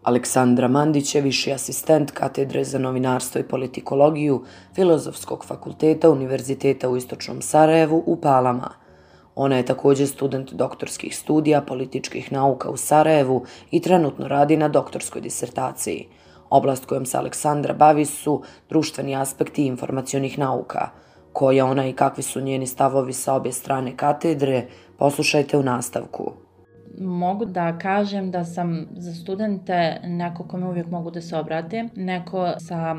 Aleksandra Mandić je viši asistent katedre za novinarstvo i politikologiju Filozofskog fakulteta Univerziteta u Istočnom Sarajevu u Palama. Ona je također student doktorskih studija političkih nauka u Sarajevu i trenutno radi na doktorskoj disertaciji. Oblast kojom se Aleksandra bavi su društveni aspekti informacionih nauka. Ko je ona i kakvi su njeni stavovi sa obje strane katedre, poslušajte u nastavku. Mogu da kažem da sam za studente neko kome uvijek mogu da se obrate, neko sa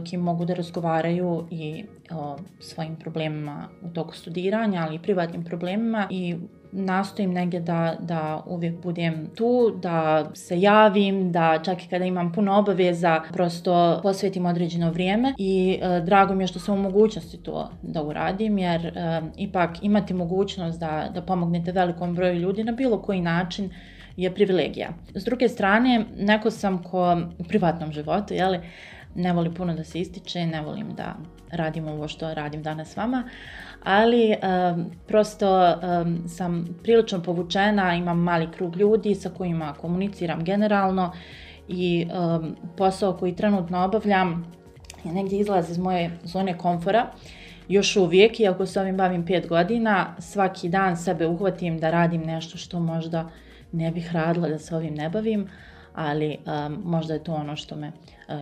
kim mogu da razgovaraju i o svojim problemima u toku studiranja, ali i privatnim problemima, i nastojim negdje da uvijek budem tu, da se javim, da čak i kada imam puno obaveza prosto posvetim određeno vrijeme i drago mi je što sam u mogućnosti to da uradim, jer ipak imati mogućnost da pomognete velikom broju ljudi na bilo koji način je privilegija. S druge strane, neko sam ko u privatnom životu, ne volim puno da se ističe, ne volim da radim ovo što radim danas s vama, ali prosto sam prilično povučena, imam mali krug ljudi sa kojima komuniciram generalno i posao koji trenutno obavljam je negdje izlaz iz moje zone komfora. Još uvijek, iako se ovim bavim 5 godina, svaki dan sebe uhvatim da radim nešto što možda ne bih radila da se ovim ne bavim, ali možda je to ono što me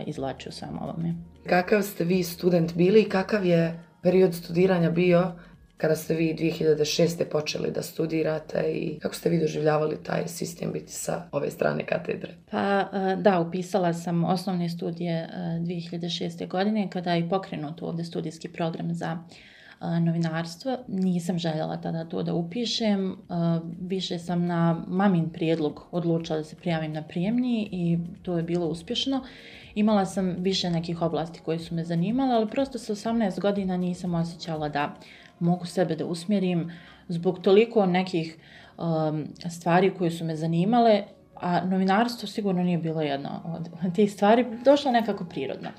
izvlači u svem ovome. Kakav ste vi student bili i kakav je period studiranja bio kada ste vi 2006. počeli da studirate i kako ste vi doživljavali taj sistem biti sa ove strane katedre? Pa da, upisala sam osnovne studije 2006. godine kada je pokrenut ovdje studijski program za novinarstvo. Nisam željela tada to da upišem, više sam na mamin prijedlog odlučila da se prijavim na prijemni i to je bilo uspješno. Imala sam više nekih oblasti koje su me zanimale, ali prosto sa 18 godina nisam osjećala da mogu sebe da usmjerim zbog toliko nekih stvari koje su me zanimale, a novinarstvo sigurno nije bilo jedna od tih stvari, došlo nekako prirodno.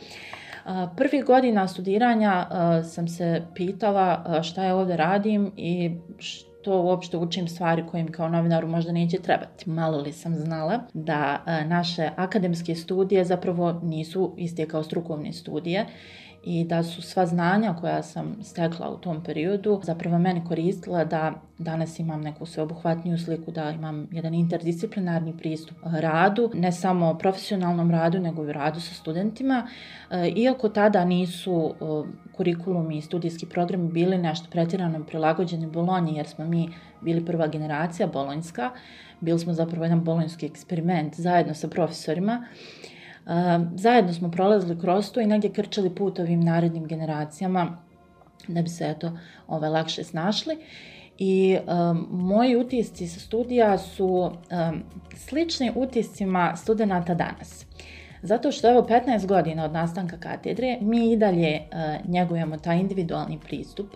Prvih godina studiranja sam se pitala šta ja ovdje radim i što uopšte učim stvari koje mi kao novinaru možda neće trebati. Malo li sam znala da naše akademske studije zapravo nisu iste kao strukovne studije i da su sva znanja koja sam stekla u tom periodu zapravo meni koristila da danas imam neku sveobuhvatniju sliku, da imam jedan interdisciplinarni pristup radu, ne samo profesionalnom radu, nego i radu sa studentima. Iako tada nisu kurikulumi i studijski programi bili nešto pretjerano prilagođeni Bolonji, jer smo mi bili prva generacija bolonjska, bili smo zapravo jedan bolonjski eksperiment zajedno sa profesorima. Zajedno smo prolazili kroz to i negdje krčali put ovim narednim generacijama da bi se lakše snašli. I moji utisci sa studija su slični utiscima studenata danas. Zato što 15 godina od nastanka katedre mi i dalje njegujemo taj individualni pristup.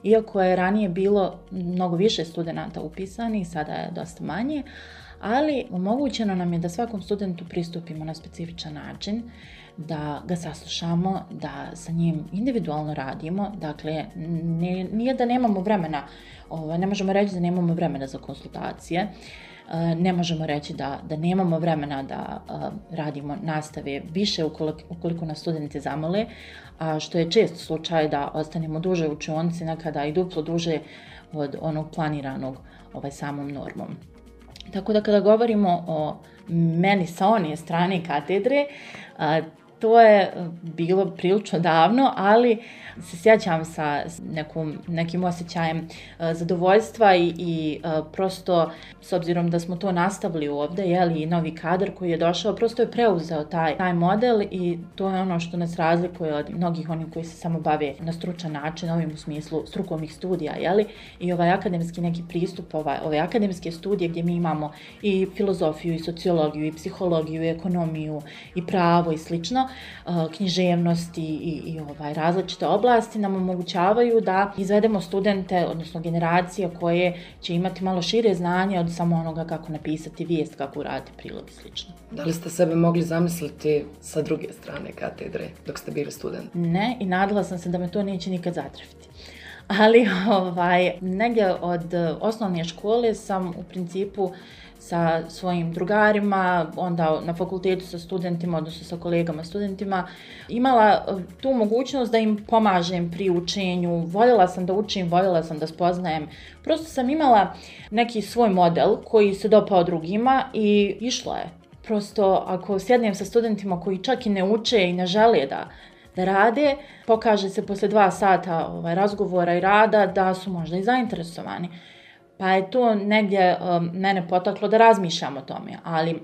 Iako je ranije bilo mnogo više studenata upisanih, sada je dosta manje, ali omogućeno nam je da svakom studentu pristupimo na specifičan način, da ga saslušamo, da sa njim individualno radimo. Dakle, nije da nemamo vremena, ne možemo reći da nemamo vremena za konsultacije, ne možemo reći da nemamo vremena da radimo nastave više ukoliko nas studenti zamole, a što je često slučaj da ostanemo duže u učionici, nekada i duplo duže od onog planiranog samom normom. Tako da kada govorimo o meni sa one strane katedre, to je bilo prilično davno, ali se sjećam sa nekim osjećajem zadovoljstva i prosto, s obzirom da smo to nastavili ovdje, i novi kadar koji je došao, prosto je preuzeo taj model i to je ono što nas razlikuje od mnogih onih koji se samo bave na stručan način, ovim u smislu strukovnih studija, i ovaj akademski neki pristup, ove akademske studije gdje mi imamo i filozofiju, i sociologiju, i psihologiju, i ekonomiju, i pravo i slično, književnost i različite oblasti nam omogućavaju da izvedemo studente, odnosno generacije koje će imati malo šire znanje od samo onoga kako napisati vijest, kako uraditi prilog i slično. Da li ste sebe mogli zamisliti sa druge strane katedre dok ste bili student? Ne, i nadala sam se da me to neće nikad zatrefiti. ali negdje od osnovne škole sam u principu sa svojim drugarima, onda na fakultetu sa studentima, odnosno sa kolegama studentima, imala tu mogućnost da im pomažem pri učenju. Voljela sam da učim, voljela sam da spoznajem. Prosto sam imala neki svoj model koji se dopao drugima i išlo je. Prosto ako sjednem sa studentima koji čak i ne uče i ne žele da rade, pokaže se posle 2 sata razgovora i rada da su možda i zainteresovani. Pa je to negdje mene potaklo da razmišljam o tome, ali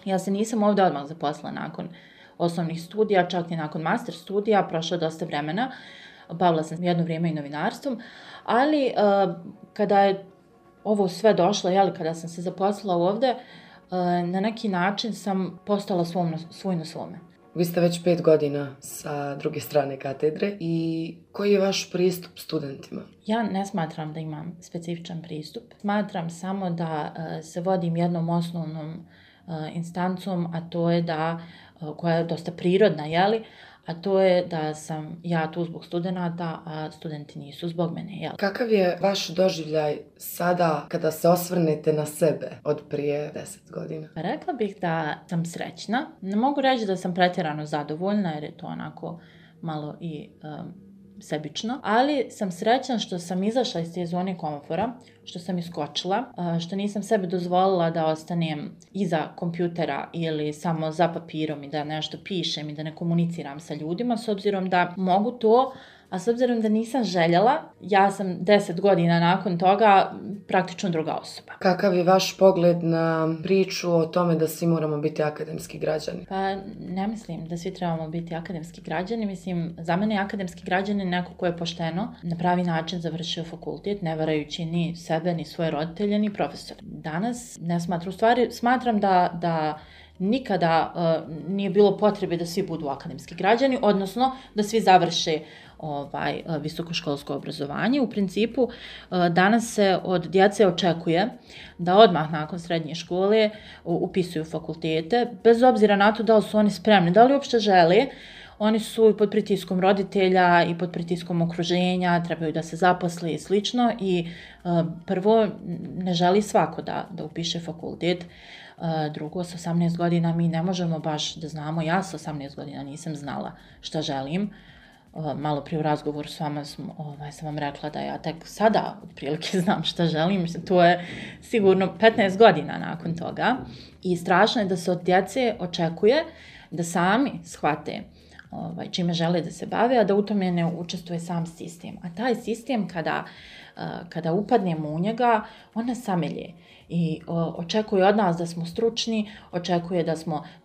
ja se nisam ovdje odmah zaposlila nakon osnovnih studija, čak i nakon master studija, prošlo je dosta vremena, bavila sam jedno vrijeme i novinarstvom, ali kada je ovo sve došlo, kada sam se zaposlila ovdje, na neki način sam postala svoj na svome. Vi ste već 5 godina sa druge strane katedre i koji je vaš pristup studentima? Ja ne smatram da imam specifičan pristup. Smatram samo da se vodim jednom osnovnom instancom, a to je koja je dosta prirodna, a to je da sam ja tu zbog studenata, a studenti nisu zbog mene. Kakav je vaš doživljaj sada kada se osvrnete na sebe od prije 10 godina? Rekla bih da sam srećna. Ne mogu reći da sam pretjerano zadovoljna jer je to onako malo i sebično, ali sam srećna što sam izašla iz te zone komfora, što sam iskočila, što nisam sebi dozvolila da ostanem iza kompjutera ili samo za papirom i da nešto pišem i da ne komuniciram sa ljudima, s obzirom da mogu to, a s obzirom da nisam željela, ja sam 10 godina nakon toga praktično druga osoba. Kakav je vaš pogled na priču o tome da svi moramo biti akademski građani? Pa ne mislim da svi trebamo biti akademski građani. Mislim, za mene je akademski građanin neko ko je pošteno na pravi način završio fakultet, ne varajući ni sebe, ni svoje roditelje, ni profesore. Danas ne smatram, u stvari smatram da nikada nije bilo potrebe da svi budu akademski građani, odnosno da svi završe visokoškolsko obrazovanje. U principu danas se od djece očekuje da odmah nakon srednje škole upisuju fakultete, bez obzira na to da li su oni spremni, da li uopšte žele. Oni su pod pritiskom roditelja i pod pritiskom okruženja, trebaju da se zaposle i slično i prvo ne želi svako da upiše fakultet. Drugo, s 18 godina mi ne možemo baš da znamo, ja s 18 godina nisam znala šta želim. Malo prije u razgovoru s vama sam vam rekla da ja tek sada otprilike znam šta želim. To je sigurno 15 godina nakon toga. I strašno je da se od djece očekuje da sami shvate čime žele da se bave, a da u tome ne učestvuje sam sistem. A taj sistem kada upadnemo u njega, on nas samelje. I očekuje od nas da smo stručni, očekuje da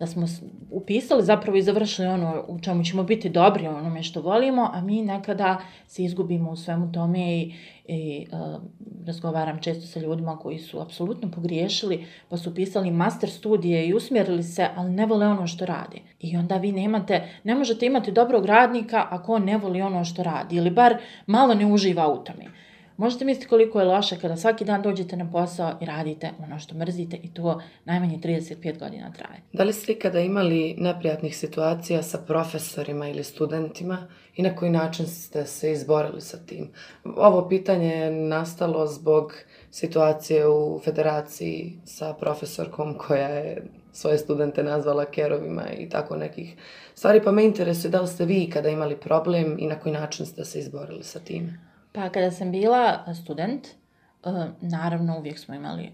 smo upisali zapravo i završili ono u čemu ćemo biti dobri, onome što volimo, a mi nekada se izgubimo u svemu tome i razgovaram često sa ljudima koji su apsolutno pogriješili, pa su upisali master studije i usmjerili se, ali ne vole ono što rade. I onda vi ne možete imati dobrog radnika ako on ne voli ono što radi ili bar malo ne uživa u tome. Možete misliti koliko je loše kada svaki dan dođete na posao i radite ono što mrzite i to najmanje 35 godina traje. Da li ste ikada imali neprijatnih situacija sa profesorima ili studentima i na koji način ste se izborili sa tim? Ovo pitanje je nastalo zbog situacije u federaciji sa profesorkom koja je svoje studente nazvala kerovima i tako nekih stvari, pa me interesuje da li ste vi ikada imali problem i na koji način ste se izborili sa tim? Pa kada sam bila student, naravno uvijek smo imali,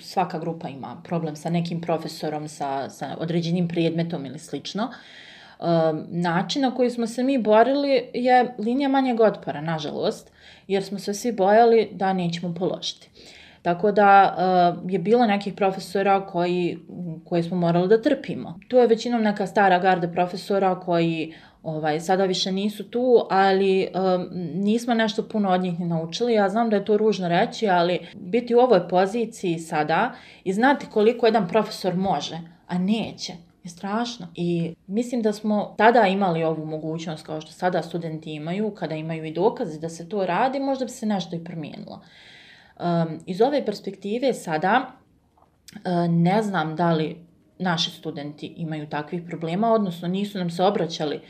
svaka grupa ima problem sa nekim profesorom, sa određenim predmetom ili slično. Način na koji smo se mi borili je linija manjeg otpora, nažalost, jer smo se svi bojali da nećemo položiti. Tako da je bilo nekih profesora koje smo morali da trpimo. Tu je većinom neka stara garda profesora koji sada više nisu tu, ali nismo nešto puno od njih ni naučili. Ja znam da je to ružno reći, ali biti u ovoj poziciji sada i znati koliko jedan profesor može, a neće, je strašno. I mislim da smo tada imali ovu mogućnost, kao što sada studenti imaju, kada imaju i dokaze da se to radi, možda bi se nešto i promijenilo. Iz ove perspektive sada ne znam da li naši studenti imaju takvih problema, odnosno nisu nam se obraćali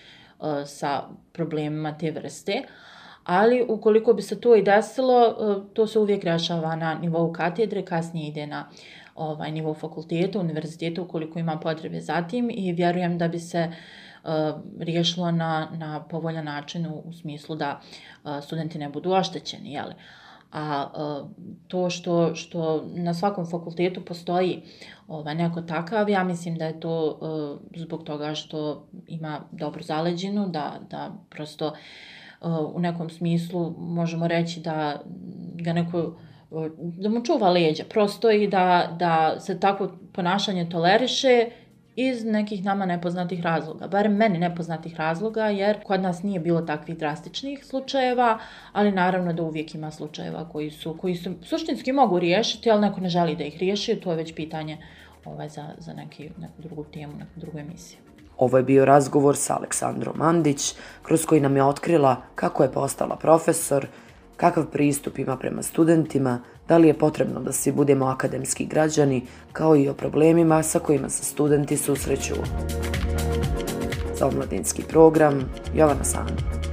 sa problemima te vrste. Ali ukoliko bi se to i desilo, to se uvijek rešava na nivou katedre, kasnije ide na nivou fakulteta, univerziteta ukoliko ima potrebe za tim i vjerujem da bi se riješilo na povoljan način u smislu da studenti ne budu oštećeni, jel? A to što na svakom fakultetu postoji neko takav, ja mislim da je to zbog toga što ima dobru zaleđinu, da prosto u nekom smislu možemo reći da ga neko, da mu čuva leđa prosto i da se takvo ponašanje toleriše iz nekih nama nepoznatih razloga, barem meni nepoznatih razloga, jer kod nas nije bilo takvih drastičnih slučajeva, ali naravno da uvijek ima slučajeva koji su suštinski mogu riješiti, ali neko ne želi da ih riješi, to je već pitanje za neku drugu temu, neku drugu emisiju. Ovo je bio razgovor sa Aleksandrom Mandić, kroz koji nam je otkrila kako je postala profesor, kakav pristup ima prema studentima, da li je potrebno da svi budemo akademski građani, kao i o problemima sa kojima se studenti susreću. Za omladinski program, Jovana Sanda.